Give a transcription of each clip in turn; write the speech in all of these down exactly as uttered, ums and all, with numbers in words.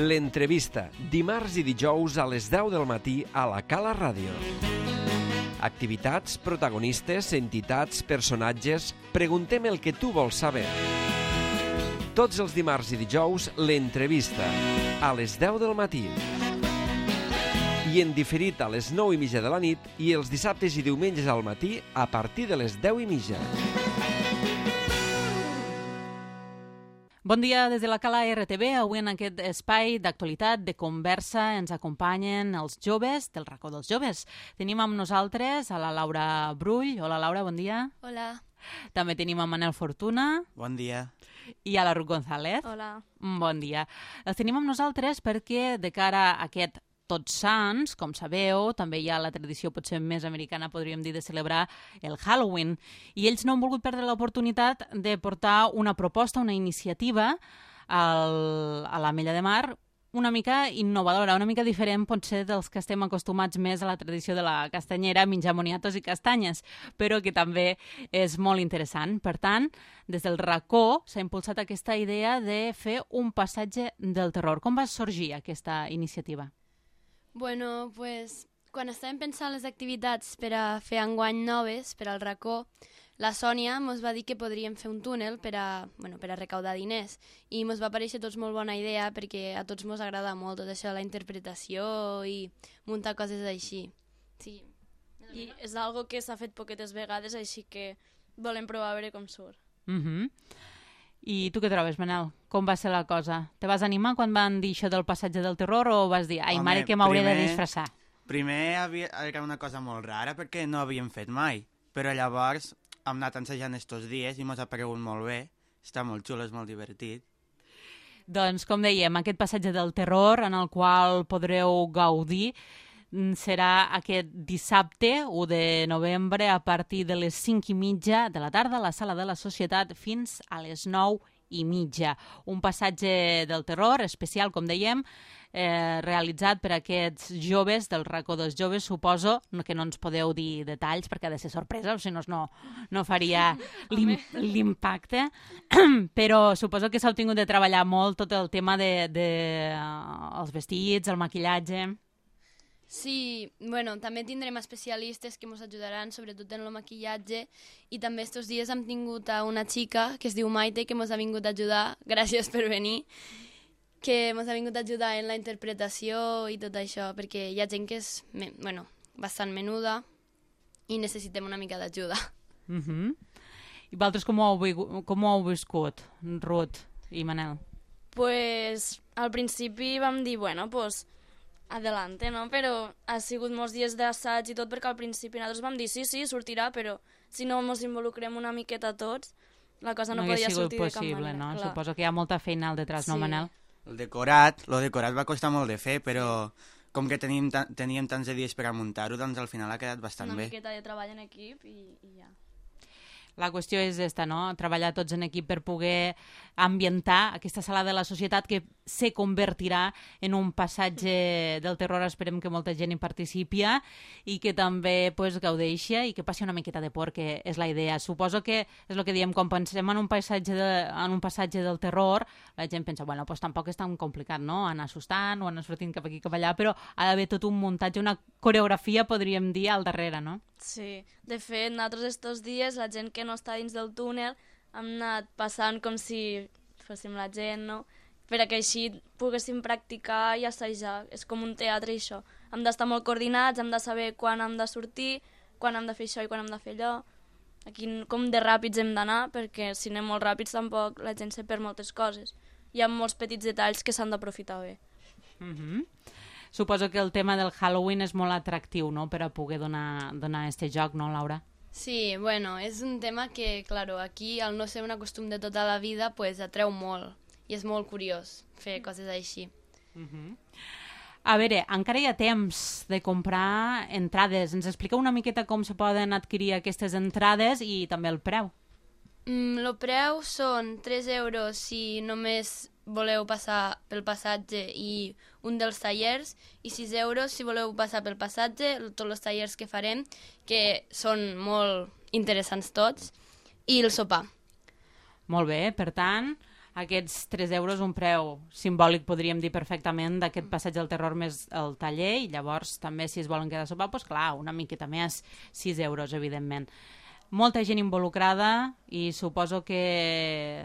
L'entrevista, dimarts i dijous a les deu del matí a la Cala Ràdio. Activitats, protagonistes, entitats, personatges... Preguntem el que tu vols saber. Tots els dimarts i dijous, l'entrevista, a les deu del matí. I en diferit a les nou i mitja de la nit i els dissabtes i diumenges al matí a partir de les deu i mitja. Bon dia des de la Cala R T V. Avui en aquest espai d'actualitat, de conversa, ens acompanyen els joves del racó dels joves. Tenim amb nosaltres a la Laura Brull. Hola, Laura, bon dia. Hola. També tenim a Manel Fortuna. Bon dia. I a la Ruth González. Hola. Bon dia. Els tenim amb nosaltres perquè de cara a aquest Tots Sants, com sabeu, també hi ha la tradició potser més americana, podríem dir, de celebrar el Halloween. I ells no han volgut perdre l'oportunitat de portar una proposta, una iniciativa al, a l'Ametlla de Mar, una mica innovadora, una mica diferent potser dels que estem acostumats més a la tradició de la castanyera, menjar moniatos i castanyes, però que també és molt interessant. Per tant, des del racó s'ha impulsat aquesta idea de fer un passatge del terror. Com va sorgir aquesta iniciativa? Bueno, pues, quan estàvem pensant les activitats per a fer enguany noves, per al racó, la Sònia ens va dir que podríem fer un túnel per a, bueno, per a recaudar diners. I ens va parèixer tots molt bona idea perquè a tots ens agrada molt tot això, la interpretació i muntar coses així. Sí. I és algo que s'ha fet poquetes vegades, així que volem provar a veure com surt. Mhm. I tu què trobes, Manel? Com va ser la cosa? Te vas animar quan van dir això del passatge del terror o vas dir, ai, Home, mare, que m'hauré de primer- disfressar? Primer havia, era una cosa molt rara perquè no havíem fet mai, però llavors hem anat ensejant estos dies i ens ha paregut molt bé. Està molt xulo, és molt divertit. Doncs, com dèiem, aquest passatge del terror en el qual podreu gaudir mm, serà aquest dissabte, u de novembre, a partir de les cinc i mitja de la tarda a la Sala de la Societat fins a les nou i mitja. Un passatge del terror especial, com dèiem, eh, realitzat per aquests joves del racó dels joves. Suposo que no ens podeu dir detalls perquè ha de ser sorpresa, o si no, no, no faria l'im l'impacte. Però suposo que s'ha tingut de treballar molt tot el tema de, de uh, els vestits, el maquillatge. Sí, bueno, també tindrem especialistes que ens ajudaran, sobretot en el maquillatge, i també estos dies hem tingut a una xica que es diu Maite, que ens ha vingut a ajudar, gràcies per venir, que ens ha vingut a ajudar en la interpretació i tot això, perquè hi ha gent que és, bueno, bastant menuda i necessitem una mica d'ajuda. Uh-huh. I vosaltres com ho, heu, com ho heu viscut, Ruth i Manel? Pues, al principi vam dir, bueno, pues, adelante, no? Però ha sigut molts dies d'assaig i tot, perquè al principi nosaltres vam dir, sí, sí, sortirà, però si no ens involucrem una miqueta tots, la cosa no, no podia sigut sortir possible, de cap manera. no? Clar. Suposo que hi ha molta feina al detrás, Sí. no, Manel? El decorat, el decorat va costar molt de fer, però com que teníem, ta teníem tants de dies per a muntar-ho, doncs al final ha quedat bastant Una bé. miqueta de treball en equip i, i ja. La qüestió és esta, no? Treballar tots en equip per poder ambientar aquesta sala de la societat que se convertirà en un passatge del terror. Esperem que molta gent hi participi i que també pues, gaudeixi i que passi una miqueta de por, que és la idea. Suposo que és el que diem, quan pensem en un passatge, de, en un passatge del terror, la gent pensa, bueno, pues tampoc és tan complicat, no? Anar assustant o anar sortint cap aquí cap allà, però ha d'haver tot un muntatge, una coreografia, podríem dir, al darrere, no? Sí, de fet, nosaltres estos dies, la gent que no està dins del túnel, hem anat passant com si fóssim la gent, no? Per a que així poguéssim practicar i assajar. És com un teatre, això. Hem d'estar molt coordinats, hem de saber quan hem de sortir, quan hem de fer això i quan hem de fer allò. Aquí com de ràpids hem d'anar, perquè si anem molt ràpids tampoc la gent se perd moltes coses. Hi ha molts petits detalls que s'han d'aprofitar bé. Mhm. Suposo que el tema del Halloween és molt atractiu, no?, per a poder donar, donar este joc, no, Laura? Sí, bueno, és un tema que, claro, aquí, al no ser un costum de tota la vida, pues atreu molt, i és molt curiós fer coses així. Uh-huh. A veure, encara hi ha temps de comprar entrades. Ens explica una miqueta com se poden adquirir aquestes entrades i també el preu. Mm, el preu són tres euros si només voleu passar pel passatge i un dels tallers, i sis euros si voleu passar pel passatge, tots els tallers que farem, que són molt interessants tots, i el sopar. Molt bé, per tant, aquests tres euros, un preu simbòlic, podríem dir perfectament, d'aquest passeig del terror més el taller, i llavors també si es volen quedar a sopar, doncs clar, una miqueta més, sis euros, evidentment. Molta gent involucrada i suposo que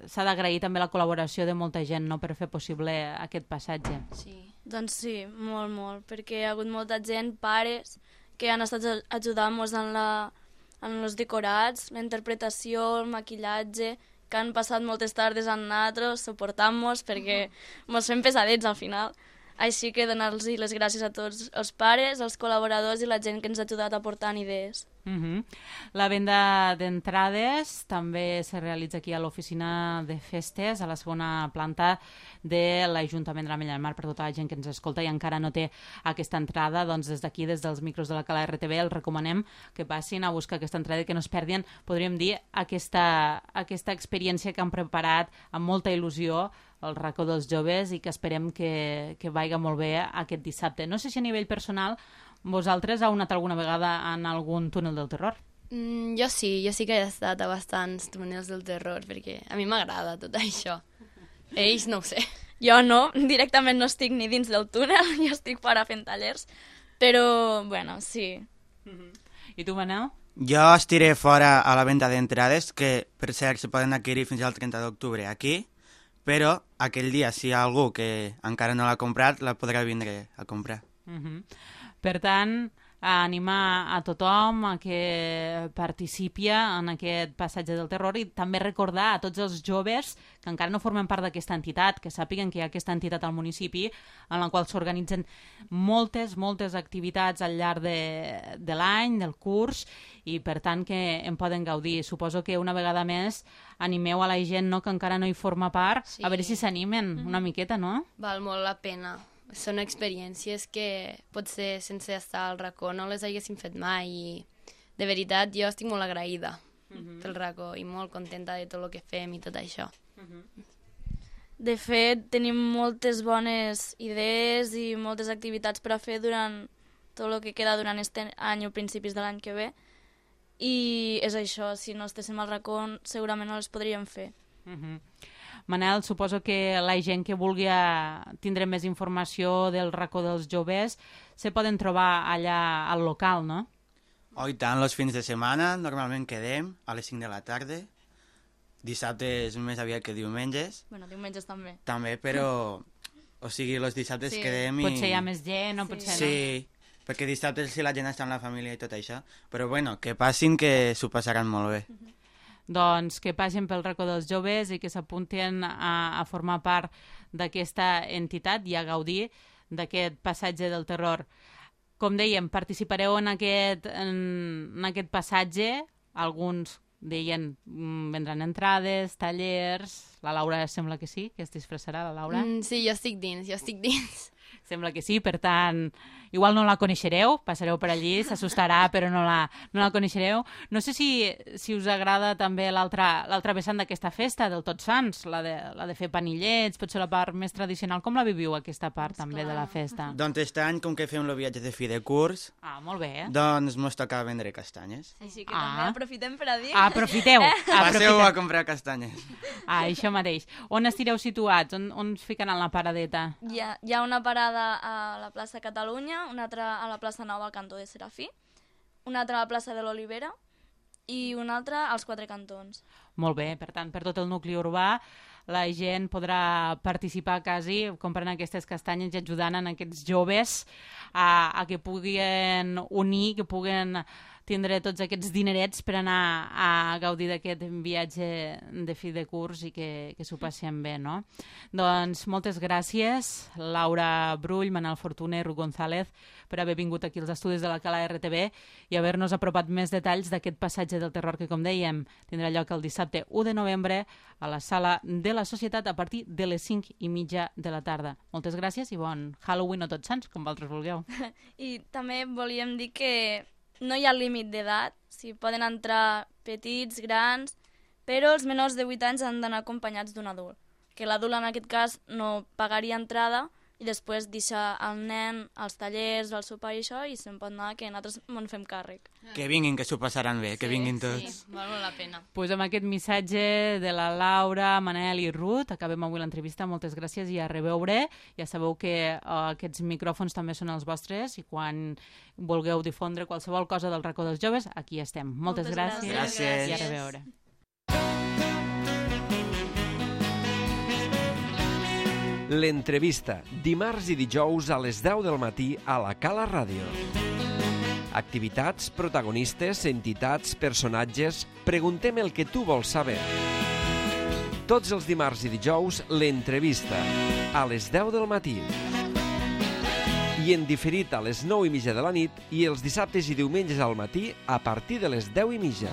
s'ha d'agrair també la col·laboració de molta gent, no?, per fer possible aquest passatge. Sí. Doncs sí, molt, molt, perquè hi ha hagut molta gent, pares, que han estat ajudant-nos en, la, en els decorats, la interpretació, el maquillatge, que han passat moltes tardes amb nosaltres, suportant-nos, perquè ens fem pesadets al final. Així que donar-los les gràcies a tots els pares, els col·laboradors i la gent que ens ha ajudat aportant idees. Uh-huh. La venda d'entrades també se realitza aquí a l'oficina de festes, a la segona planta de l'Ajuntament de l'Ametlla del Mar. Per tota la gent que ens escolta i encara no té aquesta entrada, doncs des d'aquí, des dels micros de la Cala R T V, els recomanem que passin a buscar aquesta entrada i que no es perdin, podríem dir, aquesta, aquesta experiència que han preparat amb molta il·lusió el racó dels joves i que esperem que, que vaiga molt bé aquest dissabte. No sé si a nivell personal vosaltres heu anat alguna vegada en algun túnel del terror? Mm, jo sí, jo sí que he estat a bastants túnels del terror, perquè a mi m'agrada tot això. Ells no ho sé. Jo no, directament no estic ni dins del túnel, jo estic fora fent tallers, però, bueno, sí. Uh-huh. I tu, Manel? Jo estiré fora a la venda d'entrades, que per cert se poden adquirir fins al trenta d'octubre aquí, però aquell dia si hi ha algú que encara no l'ha comprat, la podrà vindre a comprar. Uh-huh. Per tant, a animar a tothom a que participi en aquest passatge del terror i també recordar a tots els joves que encara no formen part d'aquesta entitat, que sàpiguen que hi ha aquesta entitat al municipi en la qual s'organitzen moltes, moltes activitats al llarg de, de l'any, del curs, i per tant que en poden gaudir. Suposo que una vegada més animeu a la gent, no?, que encara no hi forma part, Sí. a veure si s'animen una miqueta, no? Val molt la pena. Són experiències que potser sense estar al racó no les haguéssim fet mai i de veritat jo estic molt agraïda uh-huh. pel racó i molt contenta de tot el que fem i tot això. Uh-huh. De fet, tenim moltes bones idees i moltes activitats per a fer durant tot el que queda durant aquest any o principis de l'any que ve, i és això, si no estéssim al racó segurament no les podríem fer. Uh-huh. Manel, suposo que la gent que vulgui tindre més informació del racó dels joves se poden trobar allà al local, no? Oh, i tant, els fins de setmana normalment quedem a les cinc de la tarda. Dissabte és més aviat que diumenges. Bueno, diumenges també. També, però... O sigui, els dissabtes Sí. quedem i... Potser hi ha més gent o Sí. potser no. Sí, perquè dissabte si la gent està amb la família i tot això. Però bueno, que passin, que s'ho passaran molt bé. Doncs que passin pel racó dels joves i que s'apuntin a, a formar part d'aquesta entitat i a gaudir d'aquest passatge del terror. Com dèiem, participareu en aquest, en, en aquest passatge. Alguns deien mm, vendran entrades, tallers... La Laura sembla que sí, que es disfressarà, la Laura. Mm, sí, jo estic dins, jo estic dins. Sembla que sí, per tant, igual no la coneixereu, passareu per allí, s'assustarà, però no la, no la coneixereu. No sé si, si us agrada també l'altra l'altra vessant d'aquesta festa, del Tots Sants, la de, la de fer panillets, potser la part més tradicional. Com la viviu, aquesta part també de la festa? Doncs aquest any, com que fem el viatge de fi de curs, Ah, molt bé, eh? doncs mos toca vendre castanyes. Així que Ah. també aprofitem per a dir... Aprofiteu, Passeu aprofiteu. a comprar castanyes. Ah, això mateix. On estireu situats? On, on us ficaran la paradeta? Hi ha, hi ha una parada a la plaça Catalunya, una altra a la plaça Nova al cantó de Serafí, una altra a la plaça de l'Olivera i una altra als Quatre Cantons. Molt bé, per tant, per tot el nucli urbà la gent podrà participar quasi comprant aquestes castanyes i ajudant en aquests joves a, a que puguin unir, que puguen tindre tots aquests dinerets per anar a gaudir d'aquest viatge de fi de curs i que, que s'ho passem bé, no? Doncs moltes gràcies, Laura Brull, Manel Fortuné, Ruth González, per haver vingut aquí als estudis de la Cala R T V i haver-nos apropat més detalls d'aquest passatge del terror que, com dèiem, tindrà lloc el dissabte u de novembre a la sala de la Societat a partir de les cinc i mitja de la tarda. Moltes gràcies i bon Halloween o Tots Sants, com vosaltres vulgueu. I també volíem dir que no hi ha límit d'edat, si poden entrar petits, grans, però els menors de vuit anys han d'anar acompanyats d'un adult, que l'adult en aquest cas no pagaria entrada, i després deixar el nen als tallers, al sopar i això, i se'n pot anar, que nosaltres me'n fem càrrec. Que vinguin, que s'ho passaran bé, que vinguin tots. Sí, val molt la pena. Pues amb aquest missatge de la Laura, Manel i Ruth acabem avui l'entrevista. Moltes gràcies i a reveure. Ja sabeu que uh, aquests micròfons també són els vostres i quan vulgueu difondre qualsevol cosa del racó dels joves, aquí estem. Moltes, Moltes gràcies, gràcies. i a reveure. L'entrevista, dimarts i dijous a les deu del matí a la Cala Ràdio. Activitats, protagonistes, entitats, personatges... Preguntem el que tu vols saber. Tots els dimarts i dijous, l'entrevista, a les deu del matí. I en diferit a les nou i mitja de la nit i els dissabtes i diumenges al matí a partir de les deu i mitja.